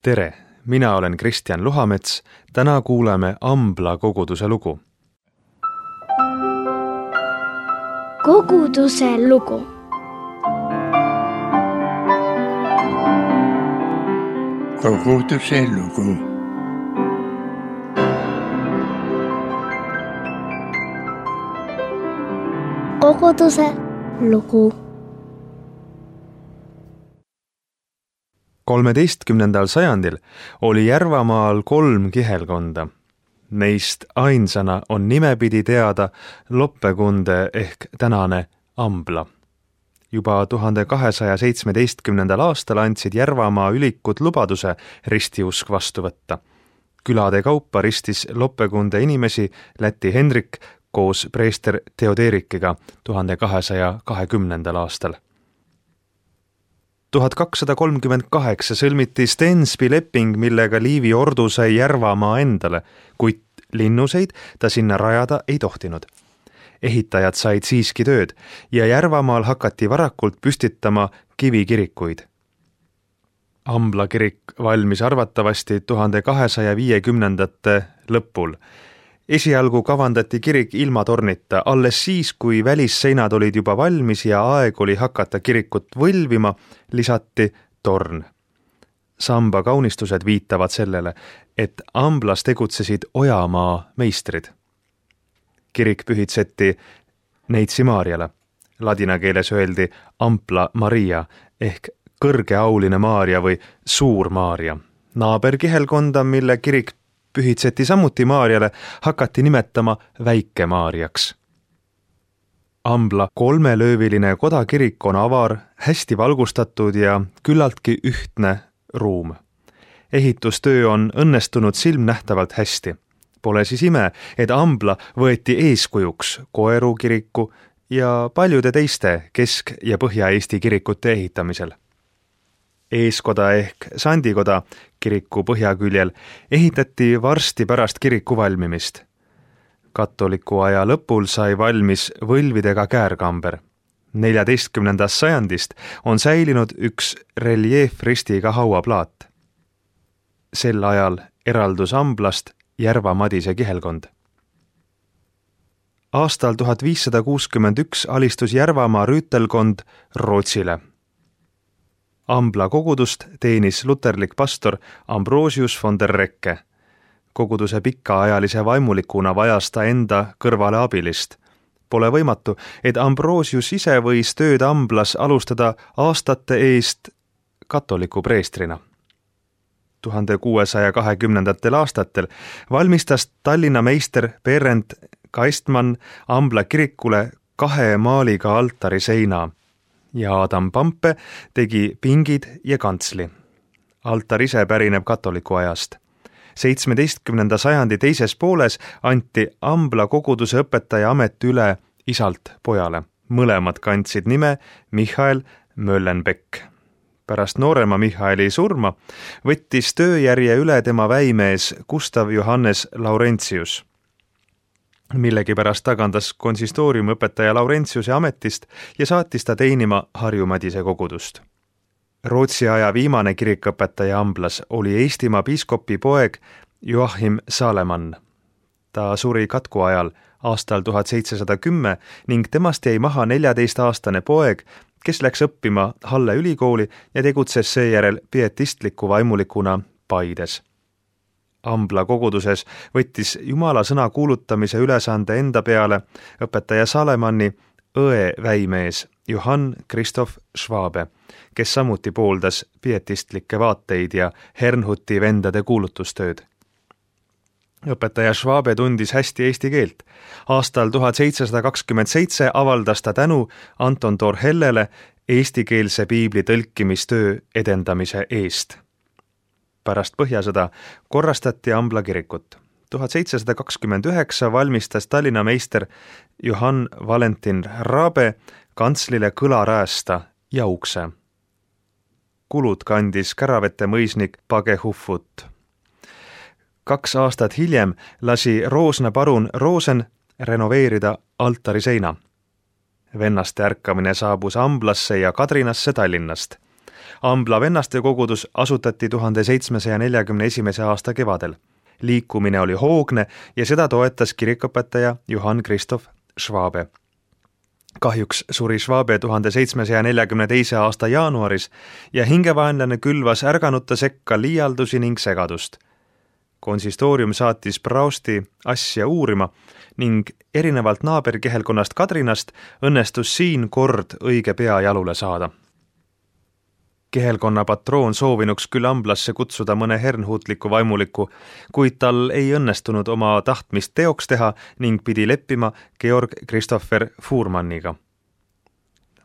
Tere, mina olen Kristjan Luhamets. Täna kuuleme Ambla koguduse lugu. Koguduse lugu. Koguduse lugu. Koguduse lugu. 13. sajandil oli Järvamaal 3 kihelkonda. Neist ainsana on nimepidi teada Loppekunde ehk tänane Ambla. Juba 1217. aastal andsid Järvamaa ülikud lubaduse ristiusk vastu võtta. Külade kaupa ristis Loppekunde inimesi Läti Hendrik koos preester Theoderikiga 1220. aastal. 1238 sõlmiti Stensby leping, millega Liivi ordu sai Järvamaa endale, kuid linnuseid ta sinna rajada ei tohtinud. Ehitajad said siiski tööd ja Järvamaal hakati varakult püstitama kivikirikuid. Ambla kirik valmis arvatavasti 1250. lõpul. Esialgu kavandati kirik ilma tornita, alles siis, kui välisseinad olid juba valmis ja aeg oli hakata kirikut võlvima, lisati torn. Samba kaunistused viitavad sellele, et Amblas tegutsesid Ojamaa meistrid. Kirik pühitseti Neitsi Maarjale. Ladina keeles öeldi Ampla Maria ehk kõrgeauline Maaria või Suur Maaria. Naaberkihelkonda, mille kirik pühitseti samuti Maarjale, hakati nimetama Väike Maarjaks. Ambla 3-lööviline kodakirik on avar, hästi valgustatud ja küllaltki ühtne ruum. Ehitustöö on õnnestunud silmnähtavalt hästi. Pole siis ime, et Ambla võeti eeskujuks Koeru kiriku ja paljude teiste Kesk- ja Põhja-Eesti kirikute ehitamisel. Eeskoda ehk Sandikoda kiriku põhjaküljel ehitati varsti pärast kiriku valmimist. Katoliku aja lõpul sai valmis võlvidega käärkamber. 14. sajandist on säilinud üks reljeefristiga hauaplaat. Sel ajal eraldus Amblast Järva Madise kihelkond. Aastal 1561 alistus Järvamaa rüütelkond Rootsile. Ambla kogudust teenis luterlik pastor Ambrosius von der Recke. Koguduse pikaajalise vaimulikuna vajas ta enda kõrvale abilist. Pole võimatu, et Ambrosius ise võis tööd Amblas alustada aastate eest katoliku preestrina. 1620. aastatel valmistas Tallinna meister Berend Kaistmann Ambla kirikule 2 maaliga altariseina ja Adam Pampe tegi pingid ja kantsli. Altar ise pärineb katoliku ajast. 17. sajandi teises pooles anti Ambla koguduse õpetaja amet üle isalt pojale. Mõlemad kandsid nime Michael Möllenbeck. Pärast noorema Michaeli surma võttis tööjärje üle tema väimees Gustav Johannes Laurentius. Millegipärast tagandas konsistooriumi õpetaja Laurentiuse ametist ja saatis ta teenima Harju Madise kogudust. Rootsi aja viimane kirikõpetaja Amblas oli Eestimaa piiskopi poeg Joachim Saalemann. Ta suri katku ajal aastal 1710 ning temast jäi maha 14-aastane poeg, kes läks õppima Halle ülikooli ja tegutses seejärel pietistliku vaimulikuna Paides. Ambla koguduses võttis Jumala sõna kuulutamise ülesande enda peale õpetaja Saalemanni õe väimees Johann Christoph Schwabe, kes samuti pooldas pietistlikke vaateid ja Hernhuti vendade kuulutustööd. Õpetaja Schwabe tundis hästi eesti keelt. Aastal 1727 avaldas ta tänu Anton Torhellele eestikeelse piibli tõlkimistöö edendamise eest. Pärast Põhjasõda korrastati Ambla kirikut. 1729 valmistas Tallinna meister Johann Valentin Raabe kantslile kõlaräästa ja ukse. Kulud kandis Käravete mõisnik Page Hufvud. 2 aastat hiljem lasi Roosna parun Roosen renoveerida altariseina. Vennaste ärkamine saabus Amblasse ja Kadrinasse Tallinnast. Ambla vennaste kogudus asutati 1741. aasta kevadel. Liikumine oli hoogne ja seda toetas kirikuõpetaja Johann Christoph Schwabe. Kahjuks suri Schwabe 1742. aasta jaanuaris ja hingevaenlane külvas ärganute sekka liialdusi ning segadust. Konsistoorium saatis Prausti asja uurima ning erinevalt naaberkihelkonnast Kadrinast õnnestus siin kord õige pea jalule saada. Kihelkonna patroon soovinuks küll Amblasse kutsuda mõne hernhuutliku vaimuliku, kuid tal ei õnnestunud oma tahtmist teoks teha ning pidi leppima Georg Christopher Fuhrmanniga.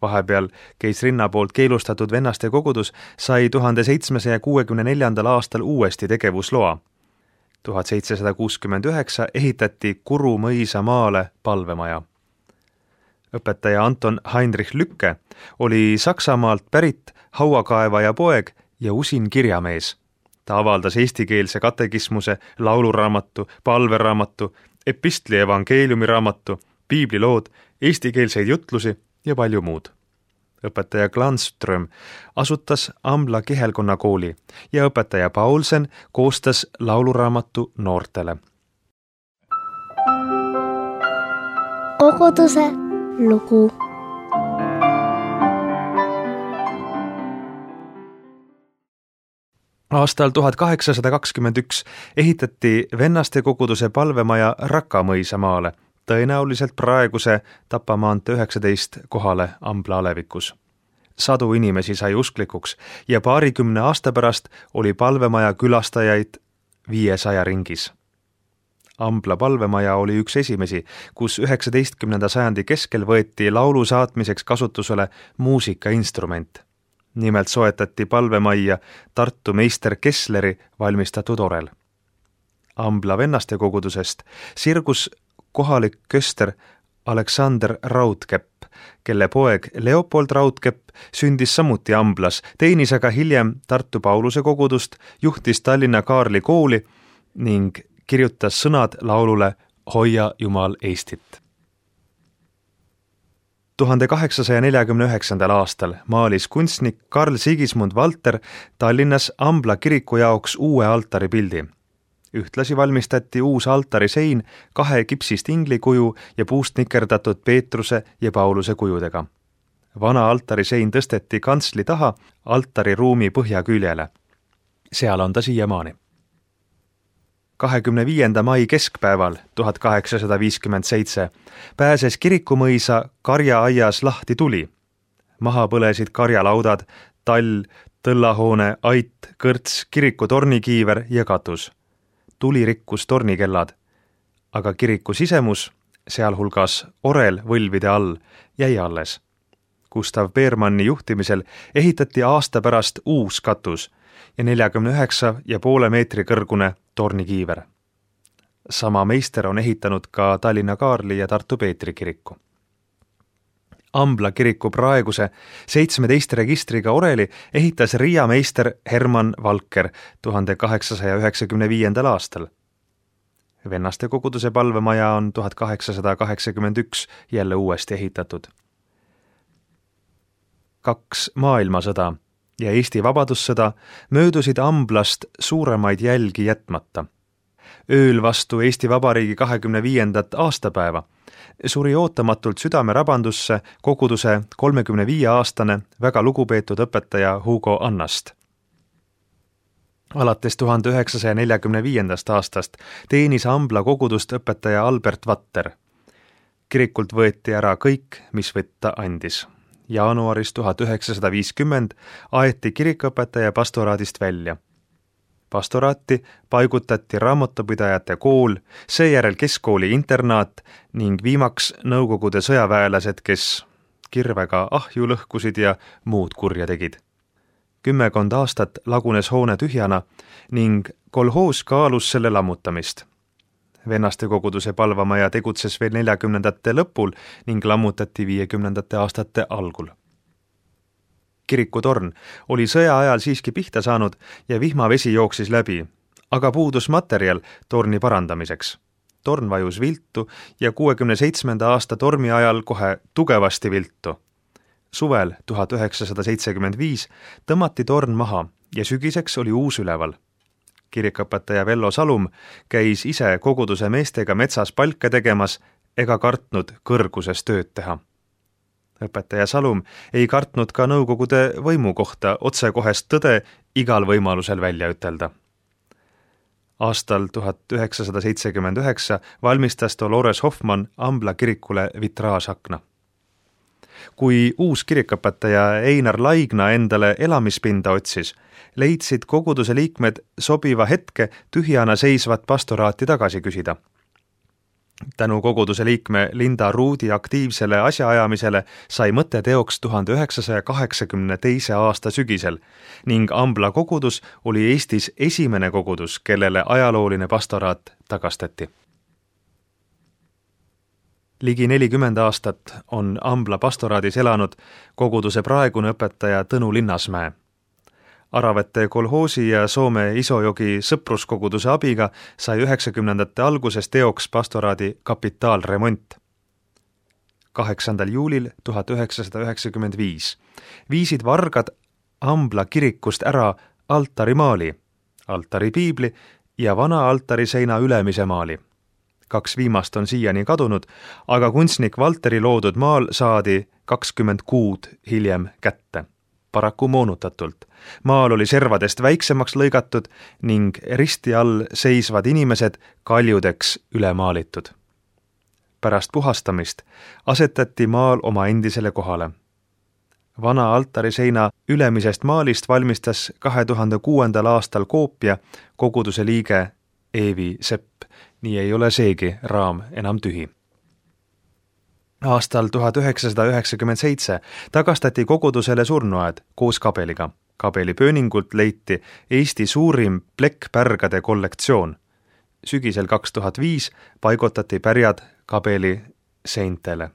Vahepeal keisrinna poolt keelustatud vennaste kogudus sai 1764. aastal uuesti tegevusloa. 1769 ehitati Kuru mõisa maale palvemaja. Õpetaja Anton Heinrich Lücke oli Saksamaalt pärit hauakaevaja poeg ja usin kirjamees. Ta avaldas eestikeelse katekismuse, lauluraamatu, palveraamatu, epistli evangeeliumiraamatu, piiblilood, eestikeelseid jutlusi ja palju muud. Õpetaja Glanström asutas Ambla kihelkonna kooli ja õpetaja Paulsen koostas lauluraamatu noortele. Koguduse lugu. Aastal 1821 ehitati vennaste koguduse palvemaja Rakamõisa maale, tõenäoliselt praeguse Tapa maantee 19 kohale Ambla alevikus. Sadu inimesi sai usklikuks ja paarikümne aasta pärast oli palvemaja külastajaid 500 ringis. Ambla palvemaja oli üks esimesi, kus 19. sajandi keskel võeti laulu saatmiseks kasutusele muusikainstrument. Nimelt soetati palvemajja Tartu meister Kessleri valmistatud orel. Ambla vennaste kogudusest sirgus kohalik köster Aleksander Raudkepp, kelle poeg Leopold Raudkepp sündis samuti Amblas, teenis aga hiljem Tartu Pauluse kogudust, juhtis Tallinna Kaarli kooli ning kirjutas sõnad laulule Hoia Jumal Eestit. 1849. aastal maalis kunstnik Karl Sigismund Valter Tallinnas Ambla kiriku jaoks uue altaripildi. Ühtlasi valmistati uus altarisein 2 kipsist inglikuju ja puust nikerdatud Peetruse ja Pauluse kujudega. Vana altarisein tõsteti kantsli taha altariruumi põhjaküljele. Seal on ta siiamaani. 25. mai keskpäeval 1857 pääses kirikumõisa karjaaias lahti tuli. Maha põlesid karjalaudad, tall, tõllahoone, ait, kõrts, kiriku tornikiiver ja katus. Tuli rikkus tornikellad, aga kiriku sisemus, sealhulgas orel võlvide all, jäi alles. Gustav Beermanni juhtimisel ehitati aasta pärast uus katus ja 49,5 meetri kõrgune tornikiiver. Sama meister on ehitanud ka Tallinna Kaarli ja Tartu Peetri kiriku. Ambla kiriku praeguse 17 registriga oreli ehitas Riia meister Hermann Valker 1895. aastal. Vennaste koguduse palvemaja on 1881 jälle uuesti ehitatud. 2 maailmasõda ja Eesti vabadussõda möödusid Amblast suuremaid jälgi jätmata. Ööl vastu Eesti Vabariigi 25. aastapäeva suri ootamatult südamerabandusse koguduse 35-aastane väga lugupeetud õpetaja Hugo Annast. Alates 1945. aastast teenis Ambla kogudust õpetaja Albert Vatter. Kirikult võeti ära kõik, mis võtta andis. Jaanuaris 1950 aeti kirikuõpetaja pastoraadist välja. Pastoraati paigutati raamatupidajate kool, seejärel keskkooli internaat ning viimaks Nõukogude sõjaväelased, kes kirvega ahju lõhkusid ja muud kurja tegid. 10 aastat lagunes hoone tühjana ning kolhoos kaalus selle lammutamist. Vennaste koguduse palvamaja tegutses veel 40. lõpul ning lammutati 50. aastate algul. Kirikutorn oli sõja ajal siiski pihta saanud ja vihmavesi jooksis läbi, aga puudus materjal torni parandamiseks. Torn vajus viltu ja 67. aasta tormi ajal kohe tugevasti viltu. suvel 1975 tõmmati torn maha ja sügiseks oli uus üleval. Kirikuõpetaja Vello Salum käis ise koguduse meestega metsas palke tegemas ega kartnud kõrguses tööd teha. Õpetaja Salum ei kartnud ka nõukogude võimu kohta otsekohest tõde igal võimalusel välja ütelda. Aastal 1979 valmistas Dolores Hoffmann Ambla kirikule vitraasakna. Kui uus kirikuõpetaja Einar Laigna endale elamispinda otsis, leidsid koguduse liikmed sobiva hetke tühjana seisvat pastoraati tagasi küsida. Tänu koguduse liikme Linda Ruudi aktiivsele asjaajamisele sai mõte teoks 1982. aasta sügisel ning Ambla kogudus oli Eestis esimene kogudus, kellele ajalooline pastoraat tagastati. Ligi 40 aastat on Ambla pastoraadis elanud koguduse praegune õpetaja Tõnu Linnasmäe. Aravete kolhoosi ja Soome Isojogi sõpruskoguduse abiga sai 90. alguses teoks pastoraadi kapitaalremont. 8. juulil 1995 viisid vargad Ambla kirikust ära altarimaali, altaripiibli ja vana altariseina ülemise maali. 2 viimast on siiani kadunud, aga kunstnik Valteri loodud maal saadi 20 kuud hiljem kätte. Paraku moonutatult. Maal oli servadest väiksemaks lõigatud ning risti all seisvad inimesed kaljudeks üle maalitud. Pärast puhastamist asetati maal oma endisele kohale. Vana altariseina ülemisest maalist valmistas 2006. aastal koopia koguduse liige Eevi Sepp, nii ei ole seegi raam enam tühi. Aastal 1997 tagastati kogudusele surnuaed koos kabeliga. Kabeli pööningult leiti Eesti suurim plekkpärgade kollektsioon. Sügisel 2005 paigutati pärjad kabeli seintele.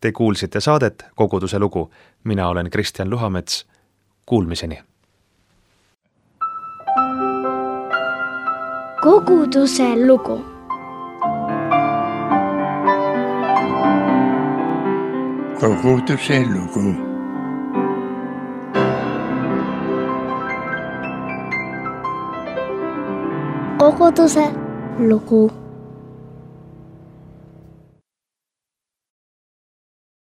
Te kuulsite saadet Koguduse lugu. Mina olen Kristjan Luhamets. Kuulmiseni. Koguduse lugu. Koguduse lugu. Koguduse lugu.